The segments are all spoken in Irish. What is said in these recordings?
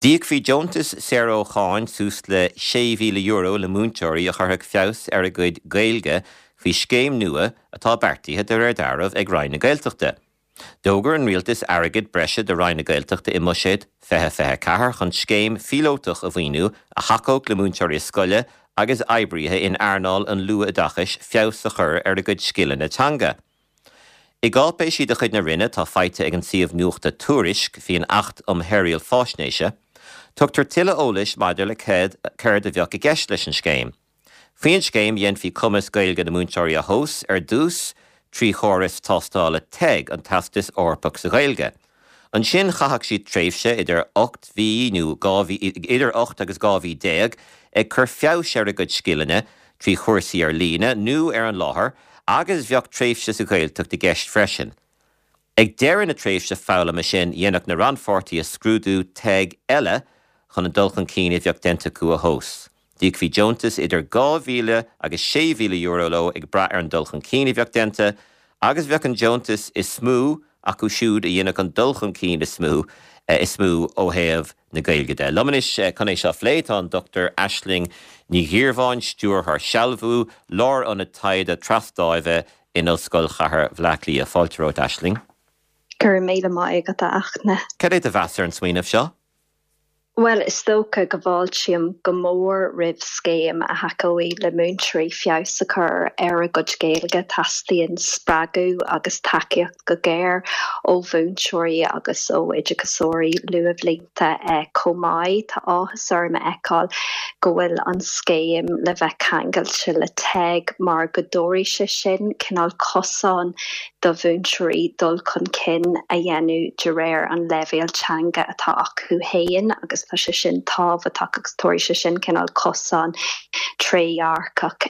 D'íocfaí deontas saor ó cháin suas le €6,000 le múinteoirí a chuirfeadh feabhas ar a gcuid Gaeilge faoi scéim nua atá beartaithe de réir dealraimh ag Roinn na Gaeltachta. D'fhógair an Rialtas airgead breise do Roinn na Gaeltachta i mBuiséad 2024 chun scéim phíolótach a mhaoiniú a thacódh le múinteoirí scoile agus oibrithe in earnáil an luathoideachais feabhas a chur ar a gcuid scileanna teanga. I gcáipéisí de chuid na Roinne atá faighte ag an suíomh nuachta Tuairisc faoin Acht um Shaoráil Faisnéise, tugtar tuilleadh eolais maidir le céard a bheadh i gceist leis an scéim. Faoin scéim, dhéanfaí cumas Gaeilge na múinteoirí a thomhas ar dtús trí chóras tástála teg, an Teastas Eorpach sa Ghaeilge. Ansin chaithfeadh siad tréimhse idir 8 mhí nó 12 mhí, idir 8 agus 12 mhí ag cur feabhais ar a gcuid scileanna trí chúrsaí ar líne nó ar an láthair agus bheadh tréimhse sa Ghaeltacht i gceist freisin. Ag deireadh na tréimhse foghlama sin dhéanfadh na rannpháirtithe scrúdú teg eile chun an dul chun cinn a bheadh déanta acu a thomhas. D'íocfaí deontas idir €2,000 agus €6,000 leo ag brath ar an dul chun cinn a bheadh déanta agus bheadh an deontas is mó acu siúd a dhéanfadh an dul chun cinn is mó is mó ó thaobh na Gaeilge de. Liom anois chun é seo a phlé tá an Dr Aisling Ní Dhíreabháin, Stiúrthóir Sealbhú, Lárionad Taighde Trasdáimhe in Ollscoil Chathair Bhaile Átha Cliath. Fáilte romhat Aisling. Go raibh míle maith agat a Fhachtna. Cad é do mheas ar an smaoineamh seo? Bhuel, is dócha go bhfáiltím go mór roimh scéim a thacóidh le múinteoirí feabhas a chur ar a gcuid Gaeilge. Teastaíonn spreagadh agus tacaíocht go géar ó mhúinteoirí agus ó oideachasóirí luathbhlianta chomh maith. Tá áthas orm a fheiceáil go bhfuil an scéim le bheith ceangailte le teg mar go dtabharfaidh sé sin cineál cosán do mhúinteoirí dul chun cinn a dhéanamh de réir an leibhéil teanga atá acu féin agus tá sé sin tábhachtach agus tabharfaidh sé sin cineál cosán trédhearcach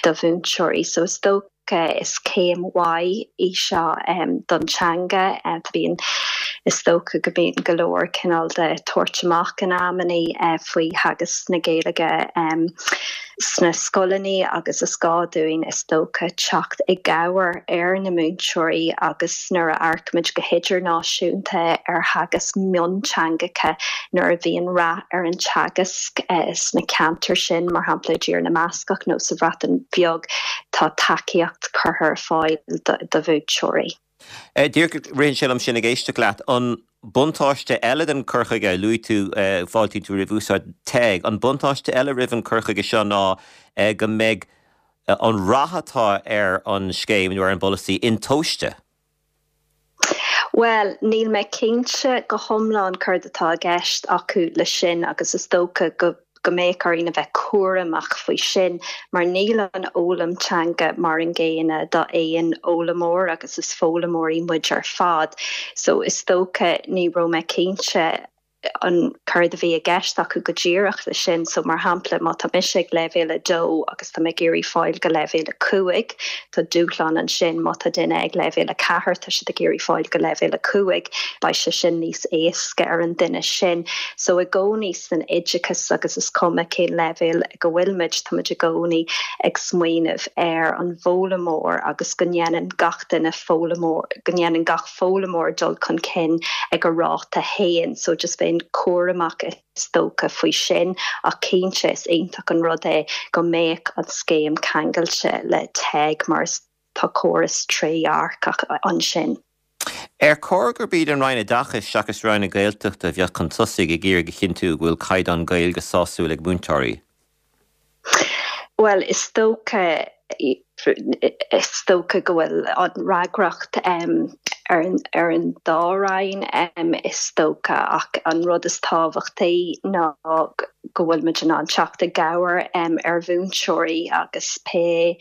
do mhúinteoirí. So is dócha is céim mhaith í seo don teanga. Bíonn, is dócha go mbíonn go leor cineál de tabhairt amach in amannaí faoi theagasc na Gaeilge. sna scoileanna agus is gá dúinn, is dócha, teacht i gcabhair ar na múinteoirí agus nuair a amharcaimid go hidirnáisiúnta ar theagasc mionteangacha, nuair a bhíonn rath ar an teagasc sna ceantair sin, mar shampla i dTír na mBascach nó sa Bhreatain Bheag, tá tacaíocht curtha ar fáil do mhúinteoirí. Díreach ritheann sé liom sin ag éisteacht leat. An buntáiste eile den cur chuige, luaigh tú, fáiltíonn tú roimh úsáid teg, an buntáiste eile roimh an cur chuige seo ná go mbeidh an rath atá ar an scéim nó ar an bpolasaí intomhaiste. Bhuel, níl mé cinnte go hiomlán céard atá i gceist acu le sin agus is dócha go go mbeadh orainn a bheith cúramach faoi sin mar níl an fhoghlaim teanga mar an gcéanna d'aon fhoghlaimeoir agus is foghlaimeoirí muid ar fad so is dócha ní raibh mé cinnte an céard a bhí i gceist acu go díreach le sin so mar shampla má tá mise ag leibhéal 2 agus tá mé ag iarraidh fáil go leibhéal 5 tá dúshlán ansin má tá duine ag leibhéal 4 tá siad ag iarraidh fáil go leibhéal 5 beidh sé sin níos éasca ar an duine sin so i gcónaí san oideachas agus is cuma cén leibhéal ag a bhfuil muid, tá muid i gcónaí ag smaoineamh ar an bhfoghlaimeoir agus go ndéanann gach duine foghlaimeoir, go ndéanann gach foghlaimeoir dul chun cinn ag a ráta féin. So just bheinn cúramach is dócha faoi sin ach cinnte is iontach an rud é go mbeadh an scéim ceangailte le teg mar is tá córas trédhearcach ansin. Ar chóir gurb iad an Roinn Oideachais seachas Roinn na Gaeltachta a bheadh chun tosaigh ag iarraidh a chinntiú go bhfuil caighdeán Gaeilge sásúil ag múinteoirí? Bhuel, is dócha, is dócha go bhfuil an fhreagracht ar ar an dá roinn, is dócha, ach an rud is tábhachtaí ná go bhfuil muid in ann teacht i gcabhair ar mhúinteoirí agus pé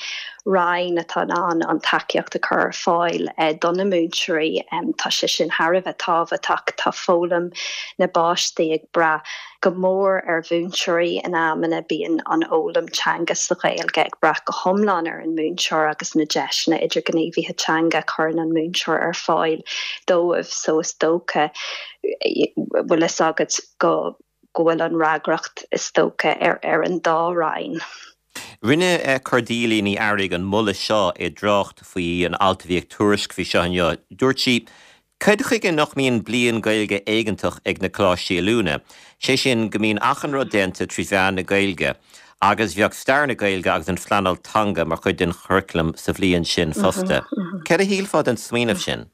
roinn atá in ann an tacaíocht a chur ar fáil do na múinteoirí, tá sé sin thar a bheith tábhachtach. Tá foghlaim na bpáistí ag brath go mór ar mhúinteoirí in amanna, bíonn an fhoghlaim teanga sa Ghaeilge ag brath go hiomlán ar an múinteoir agus na deiseanna idirghníomhaithe teanga a chuireann an múinteoir ar fáil dóibh so is dócha, bhfuil fhios agat, go go bhfuil an fhreagracht, is dócha, ar an dá roinn. Rinne Cordelia Ní Fhearraigh an moladh seo i dtrácht faoi an alt a bhí ag Tuairisc faoi seo inniu. Dúirt sí, Cad chuige nach mbíonn bliain Gaeilge éigeantach ag na coláistí oiliúna, sé sin go mbíonn achan rud déanta trí mheán na Gaeilge agus bheadh stair na Gaeilge agus an phleanáil teanga mar chuid den churaclam sa bhliain sin fosta. Cad a shílfeá den smaoineamh sin?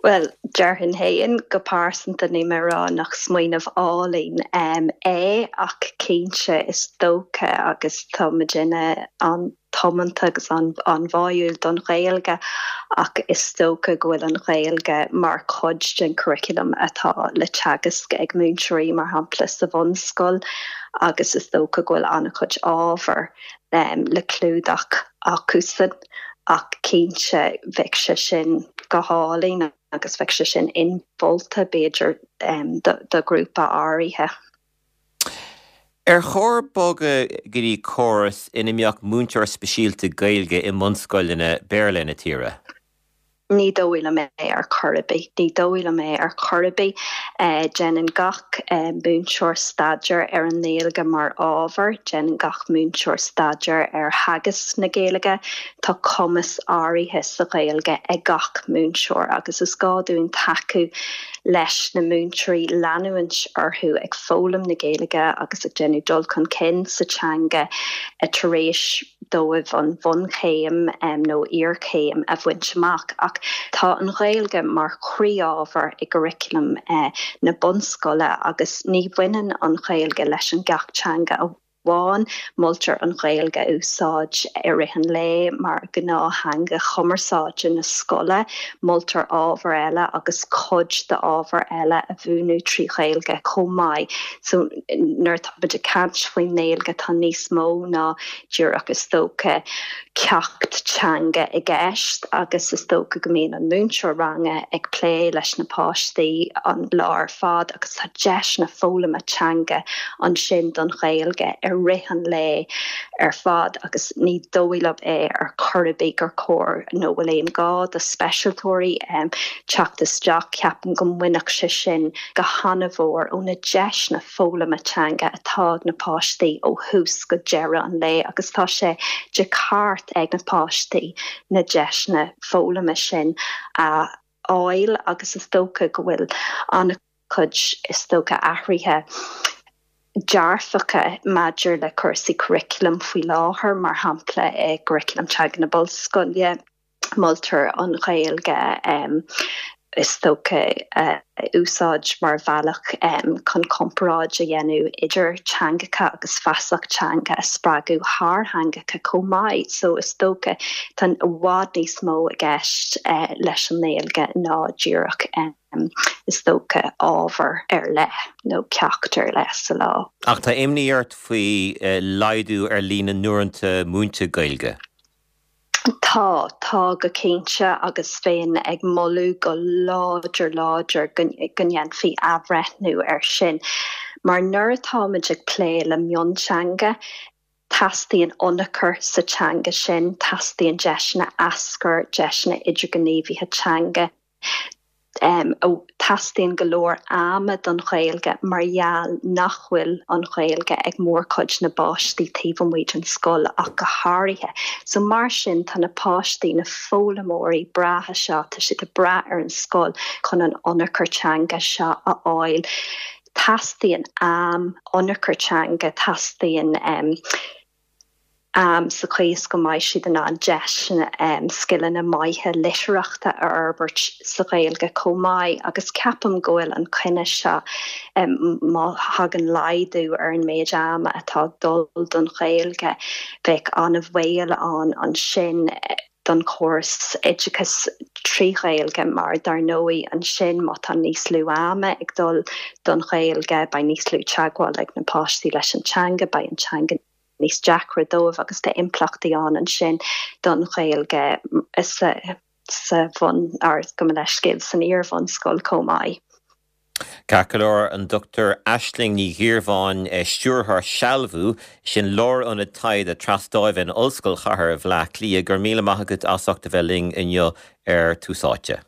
Bhuel, déarfainn féin go pearsanta, níl mé ag rá nach smaoineamh álainn é ach cinnte is dócha agus tá muidinne an-tiomanta agus an-bháúil don Ghaeilge ach is dócha go bhfuil an Ghaeilge mar chuid den churriculum atá le teagasc ag múinteoirí mar shampla sa bhunscoil agus is dócha go bhfuil an-chuid ábhar le clúdach acusan ach cinnte bheadh sé sin go hálainn agus bheadh sé sin inmholta b'fhéidir do ghrúpa áirithe. Ar chóir bogadh go dtí córas ina mbeadh múinteoir speisialta Gaeilge i mbunscoileanna Béarla na tíre? Ní dóigh liom é ar chor ar bith. Ní dóigh liom é ar chor ar bith. Déanann gach múinteoir staidéar ar an nGaeilge mar ábhar. Déanann gach múinteoir staidéar ar theagasc na Gaeilge. Tá cumas áirithe sa Ghaeilge ag gach múinteoir agus is gá dúinn tacú leis na múinteoirí leanúint orthu ag foghlaim na Gaeilge agus ag déanamh dul chun cinn sa teanga tar éis dóibh an bhunchéim nó iarchéim a bhaint amach. Ach tá an Ghaeilge mar chroí-ábhar i gcurriculum na bunscoile agus ní bhaineann an Ghaeilge leis an gceacht teanga amháin. Moltar an Ghaeilge a úsáid i rith an lae mar ghnáth-theanga chumarsáide na scoile. Moltar ábhair eile agus cuid d'ábhair eile a mhúineadh trí Ghaeilge chomh maith. So nuair atá muid ag caint faoin nGaeilge tá níos mó ná díreach is dócha ceacht teanga i gceist agus is dócha go mbíonn an múinteoir ranga ag plé leis na páistí an lá ar fad agus tá deiseanna foghlama teanga ansin don Ghaeilge i rith an lae ar fad agus ní dóigh liom é ar chor ar bith gur chóir nó bhfuil aon ghá do speisialtóirí teacht isteach. Ceapaim go mbainfeadh sé sin go han-mhór ó na deiseanna foghlama teanga atá ag na páistí ó thús go deireadh an lae agus tá sé de cheart ag na páistí na deiseanna foghlama sin a fháil agus is dócha go bhfuil an-chuid is dócha athruithe dearfacha maidir le cúrsaí curriculum faoi láthair, mar shampla i gcurriculum teanga na bunscoile. Moltar an Ghaeilge, is dócha, a úsáid mar bhealach chun comparáid a dhéanamh idir teangacha agus feasacht teanga a spreagadh thar theangacha chomh maith. So is dócha tá i bhfad níos mó i gceist leis an nGaeilge ná díreach, is dócha, ábhar ar leith nó ceacht ar leith sa lá. Ach tá imní ort faoi laghdú ar líon na n-uaireanta múinte Gaeilge. Tá, tá go cinnte agus bheinn ag moladh go láidir láidir go ndéanfaí athbhreithniú air sin. Mar nuair atáimid ag plé le mionteanga, teastaíonn ionchur sa teanga sin, teastaíonn deiseanna aschuir, deiseanna idirghníomhaithe teanga. Teastaíonn go leor ama don Ghaeilge mar gheall nach bhfuil an Ghaeilge ag mórchuid na bpáistí taobh amuigh den scoil ach go háirithe. So mar sin tá na páistí, na foghlaimeoirí breátha seo, tá siad ag brath ar an scoil chun an ionchur teanga seo a fháil. Teastaíonn am, ionchur teanga, teastaíonn. am sa chaoi is go mbeidh siad in ann deiseanna scileanna maithe litearthachta a fhorbairt sa Ghaeilge chomh maith agus ceapaim go bhfuil an coinne seo, má thagann laghdú ar an méid ama atá ag dul don Ghaeilge, bheadh an-bhaol ann ansin don chóras oideachais trí Ghaeilge mar dar ndóigh ansin má tá níos lú ama ag dul don Ghaeilge beidh níos lú teagmháil ag na páistí leis an teanga, beidh an teanga níos deacra dóibh agus tá impleachtaí ann ansin don Ghaeilge sa sa bhun, or gabh mo leithscéal, san iar-bhunscoil chomh maith. Ceart go leor, an Dr Aisling Ní Dhíreabháin, Stiúrthóir Sealbhú, sin Lárionad Taighde Trasdáimhe in Ollscoil Chathair Bhaile Átha Cliath, go raibh míle maith agat as ucht a bheith linn inniu ar Tús Áite.